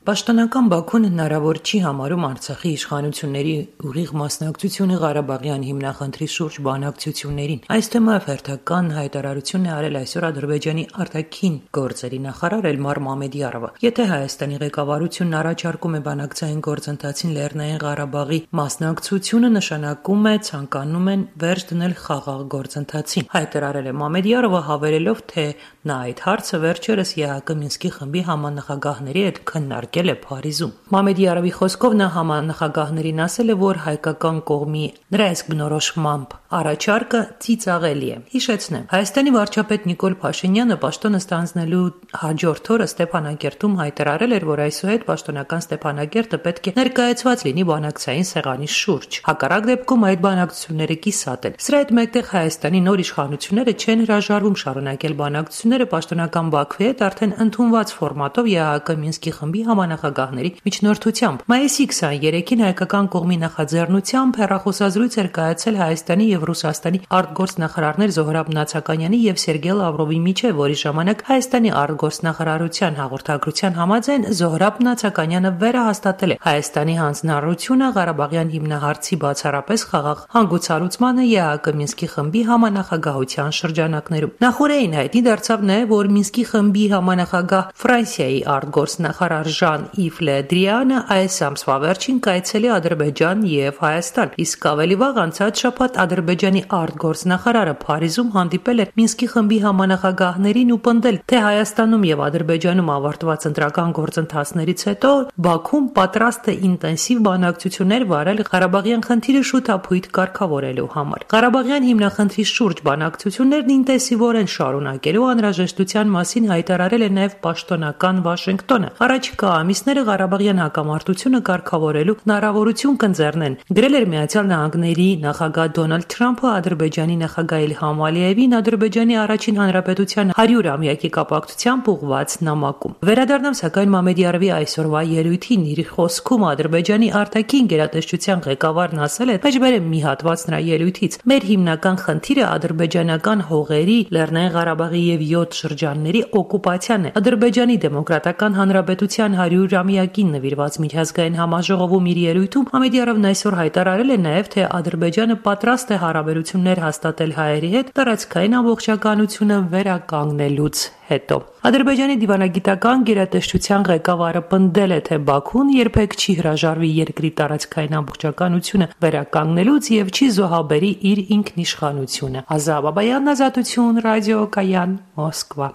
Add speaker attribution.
Speaker 1: Պաշտոնական Բաքուն հնարավոր չի համարում Արցախի իշխանությունների ուղիղ մասնակցությունը Ղարաբաղյան հիմնախնդրի շուրջ բանակցություններին։ Այս թեմայով հերթական հայտարարություն է արել այսօր Ադրբեջանի արտաքին գործերի նախարար Էլմար Մամեդյարովը։ Եթե Հայաստանի ղեկավարությունն առաջարկում է բանակցային գործընթացին Լեռնային Ղարաբաղի մասնակցությունը, նշանակում է ցանկանում են վերջ դնել խաղաղ գործընթացին։ Հայտարարել է Մամեդյարովը, հավելելով, թե նա այդ հարցը վերջերս ԵԱՀԿ Մինսկի խմբի համանախագահների հետ քննարկել է Փարիզում։ Մամեդյարովի խոսքով նա համանախագահներին ասել է, որ հայկական կողմի նրա իսկ բնորոշմամբ առաջարկը ծիծաղելի է։ Հիշեցնեմ, Հայաստանի վարչապետ Նիկոլ Փաշինյանը պաշտոնը ստանձնելու հաջորդ օրը Ստեփանակերտում հայտարարել էր, որ այսուհետ պաշտոնական Ստեփանակերտը պետք է ներկայացված լինի բանակցային սեղանի շուրջ։ Հակառակ դեպքում այդ բանակցությունները կիսատ են։ Սրա հետ մեկտեղ Հայաստանի նոր իշխանությունները չեն հրաժարվում շարունակել բանակցությունները պաշտոնական Բաքվի հետ արդեն ընդունված ֆորմատով ԵԱՀԿ Մինսկի խմբի համանախագահների միջնորդությամբ։ Մայիսի 23-ին հայկական կողմի նախաձեռնությամբ հեռախոսազրույց էր կայացել Հայաստանի եւ Ռուսաստանի արտգործնախարարներ Զոհրաբ Նացականյանի եւ Սերգեյ Լավրովի միջեւ, որի ժամանակ Հայաստանի արտգործնախարարության հաղորդագրության համաձայն Զոհրաբ Նացականյանը վերահաստատել է Հայաստանի հանձնառությունը Ղարաբաղյան հիմնահարցի բացառապես խաղաղ հանգուցալուծմանը ԵԱՀԿ Մինսկի խմբի համանախագահության շրջանակներում։ Նախորդին հայտնի դարձավ նաեւ, որ Մինսկի խմբի համանախագահ Ֆրանսիայի արտգործնախարար Ժան-Իվ Լե Դրիանը այս ամսվա վերջին կայցելի Ադրբեջան եւ Հայաստան, իսկ ավելի վաղ անցած շաբաթ Ադրբեջանի արտգործնախարարը Փարիզում հանդիպել էր Մինսկի խմբի համանախագահներին ու պնդել, թե Հայաստանում եւ Ադրբեջանում ավարտված ընտրական գործընթացներից հետո Բաքուն պատրաստ է ինտենսիվ բանակցություններ վարել Ղարաբաղյան խնդիրը շուտափույթ կարգավորելու համար։ Ղարաբաղյան հիմնախնդրի շուրջ բանակցություններն ինտենսիվորեն շարունակելու անհրաժեշտության մասին հայտարարել է նաեւ պաշտոնական Վաշինգտոնը։ Առաջիկա ամիսները Ղարաբաղյան հակամարտությունը կարգավորելու հնարավորություն կընձեռնեն, գրել էր Միացյալ Նահանգների նախագահ Դոնալդ Թրամփը Ադրբեջանի նախագահ Իլհամ Ալիևին Ադրբեջանի առաջին հանրապետության 100-ամյակի կապակցությամբ ուղղված նամակում։ Վերադառնամ սակայն Մամեդյարովի այսօրվա ելույթին, իր խոսքում Ադրբեջանի արտաքին գերատեսչության ղեկավարն ասել է, մեջբերեմ մի հատված նրա ելույթից. «Մեր հիմնական խնդիրը ադրբեջանական հողերի, Լեռնային Ղարաբաղի եւ 7 շրջանների օկուպացիան է։ Ադրբեջանի դեմոկրատական հանրապետության 100-ամյակին նվիրված միջազգային համաժողովում իր ելույթում Մամեդյարովն այսօր հայտարարել է նաև, թե Ադրբեջանը պատրաստ է հարաբերություններ հաստատել հայերի հետ տարածքային ամբողջականությունը վերականգնելուց հետո։ Ադրբեջանի դիվանագիտական գերատեսչության ղեկավարը պնդել է, թե Բաքուն երբեք չի հրաժարվի երկրի տարածքային ամբողջականությունը վերականգնելուց եւ չի զոհաբերի իր ինքնիշխանությունը։ Ազա Բաբայան, Ազատություն, Ռադիո Կայան, Մոսկվա։